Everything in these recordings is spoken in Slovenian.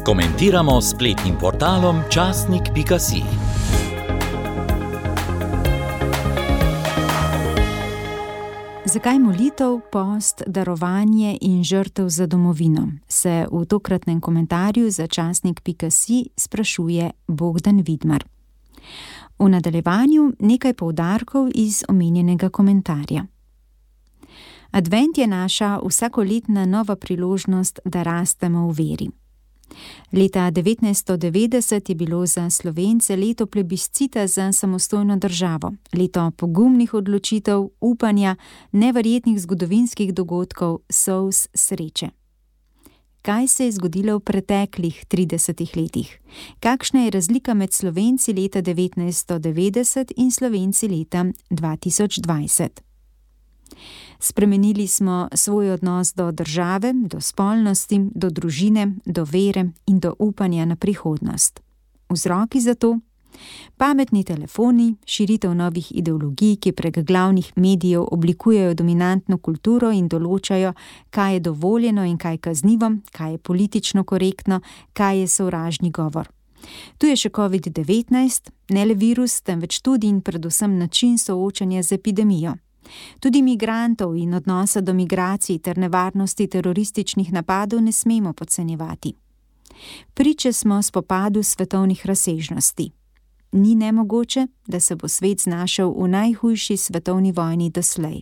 Komentiramo s spletnim portalom časnik.si. Zakaj molitev, post, darovanje in žrtev za domovino, se v tokratnem komentarju za časnik.si sprašuje Bogdan Vidmar. V nadaljevanju nekaj poudarkov iz omenjenega komentarja. Advent je naša vsakoletna nova priložnost, da rastemo v veri. Leta 1990 je bilo za Slovence leto plebiscita za samostojno državo, leto pogumnih odločitev, upanja, neverjetnih zgodovinskih dogodkov, solz, sreče. Kaj se je zgodilo v preteklih 30 letih? Kakšna je razlika med Slovenci leta 1990 in Slovenci leta 2020? Spremenili smo svoj odnos do države, do spolnosti, do družine, do vere in do upanja na prihodnost. Vzroki za to? Pametni telefoni, širitev novih ideologij, ki prek glavnih medijev oblikujejo dominantno kulturo in določajo, kaj je dovoljeno in kaj kaznivo, kaj je politično korektno, kaj je sovražni govor. Tu je še COVID-19, ne le virus, temveč tudi in predvsem način soočanja z epidemijo. Tudi migrantov in odnosa do migracij ter nevarnosti terorističnih napadov ne smemo podcenjevati. Priče smo spopadu svetovnih razsežnosti. Ni nemogoče, da se bo svet znašel v najhujši svetovni vojni doslej.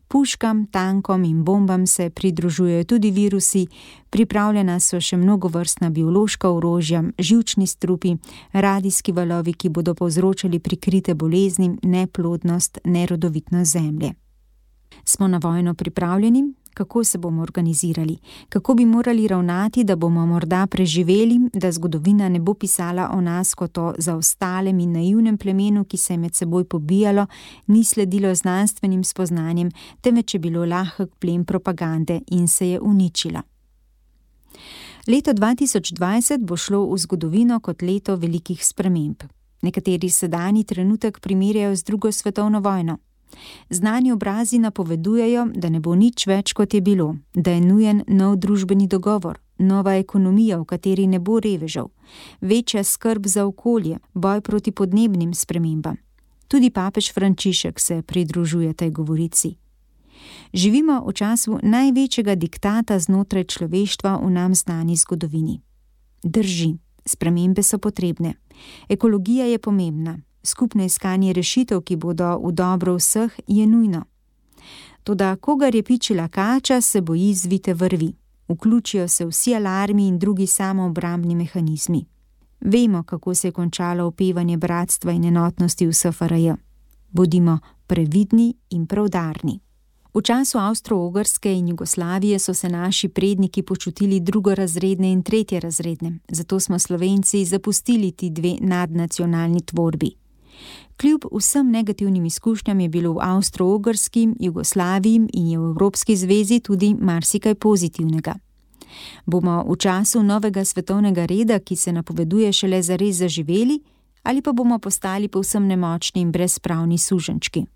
Puškam, tankom in bombam se pridružujejo tudi virusi, pripravljena so še mnogovrstna biološka orožja, živčni strupi, radijski valovi, ki bodo povzročali prikrite bolezni, neplodnost, nerodovitnost zemlje. Smo na vojno pripravljeni? Kako se bomo organizirali? Kako bi morali ravnati, da bomo morda preživeli, da zgodovina ne bo pisala o nas kot o zaostalem in naivnem plemenu, ki se je med seboj pobijalo, ni sledilo znanstvenim spoznanjem, temveč je bilo lahek plen propagande in se je uničilo. Leto 2020 bo šlo v zgodovino kot leto velikih sprememb. Nekateri sedanji trenutek primerjajo z drugo svetovno vojno. Znani obrazi napovedujejo, da ne bo nič več, kot je bilo, da je nujen nov družbeni dogovor, nova ekonomija, v kateri ne bo revežev, večja skrb za okolje, boj proti podnebnim spremembam. Tudi papež Frančišek se pridružuje tej govorici. Živimo v času največjega diktata znotraj človeštva v nam znani zgodovini. Drži, spremembe so potrebne. Ekologija je pomembna. Skupno iskanje rešitev, ki bodo v dobro vseh, je nujno. Toda kogar je pičila kača, se boji zvite vrvi. Vključijo se vsi alarmi in drugi samoobrambni mehanizmi. Vemo, kako se je končalo opevanje bratstva in enotnosti v SFRJ. Bodimo previdni in preudarni. V času Avstro-Ogrske in Jugoslavije so se naši predniki počutili drugorazredne in tretjerazredne, zato smo Slovenci zapustili ti dve nadnacionalni tvorbi. Kljub vsem negativnim izkušnjam je bilo v Avstro-Ogrski, Jugoslaviji in je v Evropski zvezi tudi marsikaj pozitivnega. Bomo v času novega svetovnega reda, ki se napoveduje šele zares zaživeli, ali pa bomo postali povsem nemočni in brezpravni suženčki?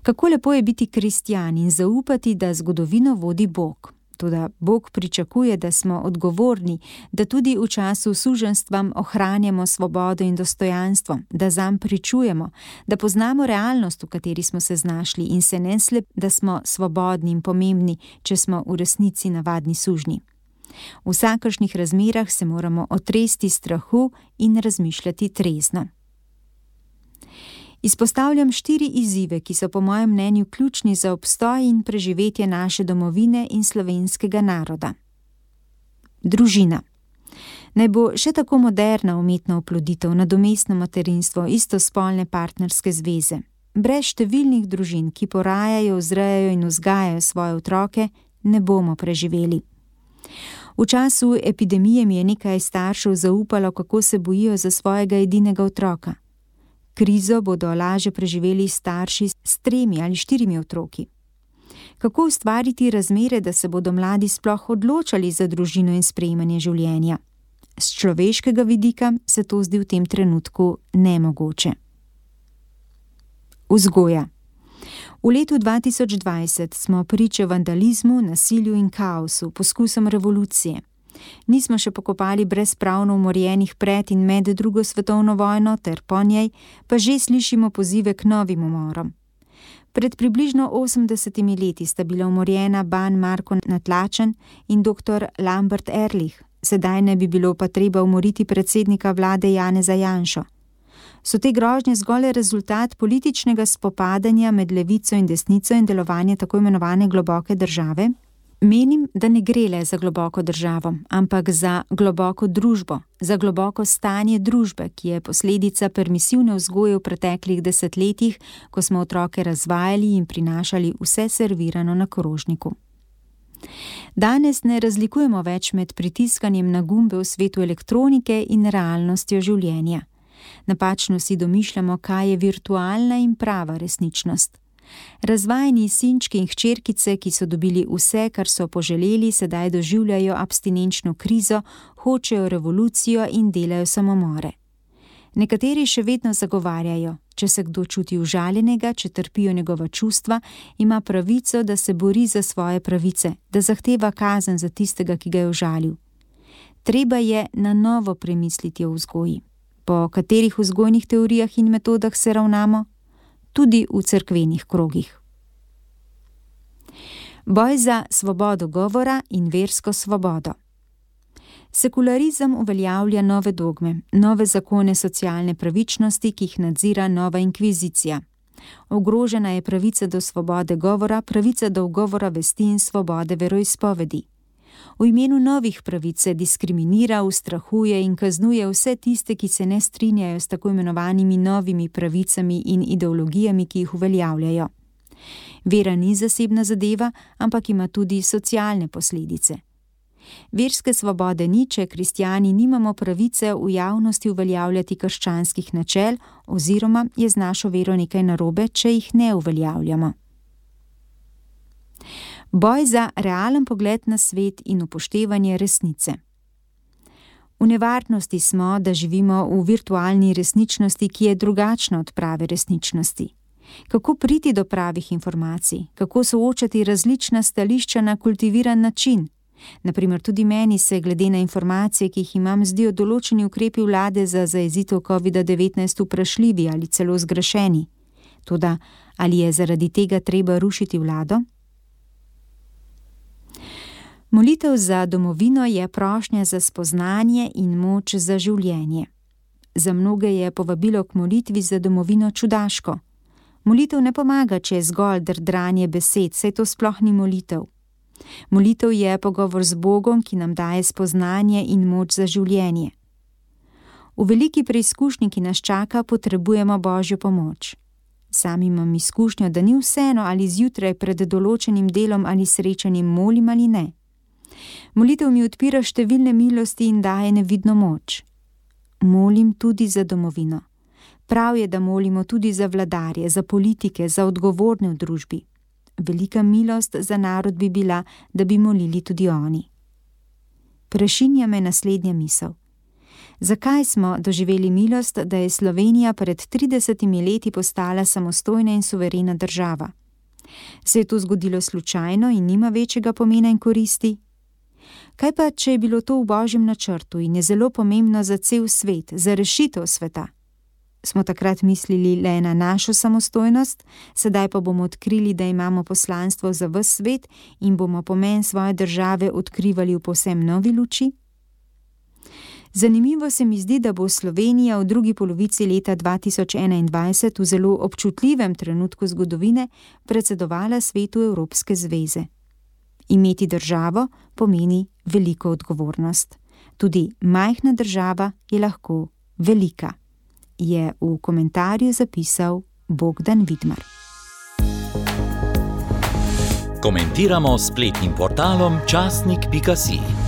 Kako lepo je biti kristjan in zaupati, da zgodovino vodi Bog. Toda Bog pričakuje, da smo odgovorni, da tudi v času suženjstva ohranjamo svobodo in dostojanstvo, da zanj pričujemo, da poznamo realnost, v kateri smo se znašli in se ne da smo svobodni in pomembni, če smo v resnici navadni sužnji. V vsakršnih razmerah se moramo otresti strahu in razmišljati trezno. Izpostavljam 4 izzive, ki so po mojem mnenju ključni za obstoj in preživetje naše domovine in slovenskega naroda. Družina. Naj bo še tako moderna umetna oploditev, nadomestno materinstvo, istospolne partnerske zveze. Brez številnih družin, ki porajajo, vzrejajo in vzgajajo svoje otroke, ne bomo preživeli. V času epidemije mi je nekaj staršev zaupalo, kako se bojijo za svojega edinega otroka. Krizo bodo lažje preživeli starši s 3 ali 4 otroki. Kako ustvariti razmere, da se bodo mladi sploh odločali za družino in sprejemanje življenja? S človeškega vidika se to zdi v tem trenutku nemogoče. Vzgoja. V letu 2020 smo priče vandalizmu, nasilju in kaosu, poskusom revolucije. Nismo še pokopali brezpravno umorjenih pred in med drugo svetovno vojno ter po njej, pa že slišimo pozive k novim umorom. Pred približno 80 leti sta bila umorjena Ban Marko Natlačen in dr. Lambert Ehrlich, sedaj ne bi bilo pa treba umoriti predsednika vlade Janeza Janšo. So te grožnje zgolj rezultat političnega spopadanja med levico in desnico in delovanje tako imenovane globoke države? Menim, da ne gre le za globoko državo, ampak za globoko družbo, za globoko stanje družbe, ki je posledica permisivne vzgoje v preteklih desetletjih, ko smo otroke razvajali in prinašali vse servirano na krožniku. Danes ne razlikujemo več med pritiskanjem na gumbe v svetu elektronike in realnostjo življenja. Napačno si domišljamo, kaj je virtualna in prava resničnost. Razvajeni sinčki in hčerkice, ki so dobili vse, kar so poželeli, sedaj doživljajo abstinenčno krizo, hočejo revolucijo in delajo samomore. Nekateri še vedno zagovarjajo, če se kdo čuti užaljenega, če trpijo njegova čustva, ima pravico, da se bori za svoje pravice, da zahteva kazen za tistega, ki ga je užalil. Treba je na novo premisliti o vzgoji. Po katerih vzgojnih teorijah in metodah se ravnamo? Tudi v cerkvenih krogih. Boj za svobodo govora in versko svobodo. Sekularizem uveljavlja nove dogme, nove zakone socialne pravičnosti, ki jih nadzira nova inkvizicija. Ogrožena je pravica do svobode govora, pravica do ugovora vesti in svobode veroizpovedi. V imenu novih pravic se diskriminira, ustrahuje in kaznuje vse tiste, ki se ne strinjajo s tako imenovanimi novimi pravicami in ideologijami, ki jih uveljavljajo. Vera ni zasebna zadeva, ampak ima tudi socialne posledice. Verske svobode ni, če kristjani nimamo pravice v javnosti uveljavljati krščanskih načel, oziroma je z našo vero nekaj narobe, če jih ne uveljavljamo. Boj za realen pogled na svet in upoštevanje resnice. V nevarnosti smo, da živimo v virtualni resničnosti, ki je drugačna od prave resničnosti. Kako priti do pravih informacij, kako soočati različna stališča na kultiviran način? Naprimer, tudi meni se glede na informacije, ki jih imam, zdijo določeni ukrepi vlade za zajezitev COVID-19 vprašljivi ali celo zgrešeni. Toda, ali je zaradi tega treba rušiti vlado? Molitev za domovino je prošnja za spoznanje in moč za življenje. Za mnoge je povabilo k molitvi za domovino čudaško. Molitev ne pomaga, če je zgolj drdranje besed, saj to sploh ni molitev. Molitev je pogovor z Bogom, ki nam daje spoznanje in moč za življenje. V veliki preizkušnji, ki nas čaka, potrebujemo Božjo pomoč. Sam imam izkušnjo, da ni vseeno, ali zjutraj pred določenim delom ali srečanjem molim ali ne. Molitev mi odpira številne milosti in daje nevidno moč. Molim tudi za domovino. Prav je, da molimo tudi za vladarje, za politike, za odgovorne v družbi. Velika milost za narod bi bila, da bi molili tudi oni. Prešinja me naslednja misel. Zakaj smo doživeli milost, da je Slovenija pred 30 leti postala samostojna in suverena država? Se je to zgodilo slučajno in nima večjega pomena in koristi? Kaj pa, če je bilo to v Božjem načrtu in je zelo pomembno za cel svet, za rešitev sveta? Smo takrat mislili le na našo samostojnost, sedaj pa bomo odkrili, da imamo poslanstvo za ves svet in bomo pomen svoje države odkrivali v povsem novi luči? Zanimivo se mi zdi, da bo Slovenija v drugi polovici leta 2021 v zelo občutljivem trenutku zgodovine predsedovala svetu Evropske zveze. Imeti državo pomeni veliko odgovornost. Tudi majhna država je lahko velika, je v komentarju zapisal Bogdan Vidmar. Komentiramo s spletnim portalom časnik.si.